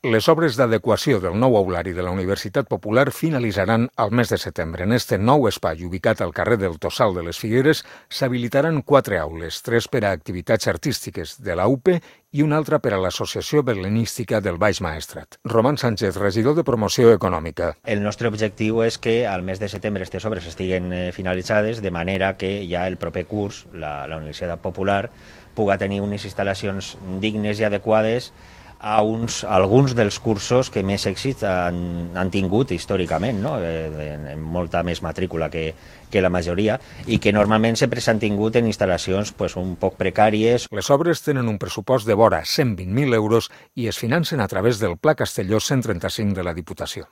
Les obres d'adequació del nou aulari de la Universitat Popular finalitzaran al mes de setembre. En este nou espai, ubicat al carrer del Tossal de les Figueres, s'habilitaran 4 aules, 3 per a activitats artístiques de la UPE i una altra per a l'Associació Berlenística del Baix Maestrat. Roman Sánchez, regidor de Promoció Econòmica. El nostre objectiu és que al mes de setembre aquestes obres estiguen finalitzades, de manera que ja el proper curs la Universitat Popular puga tenir unes instal·lacions dignes i adequades a alguns dels cursos que més èxit han tingut històricament, no? En molta més matrícula que la majoria, i que normalment sempre s'han tingut en instal·lacions un poc precàries. Les obres tenen un pressupost de vora 120.000 euros i es financen a través del Pla Castelló 135 de la Diputació.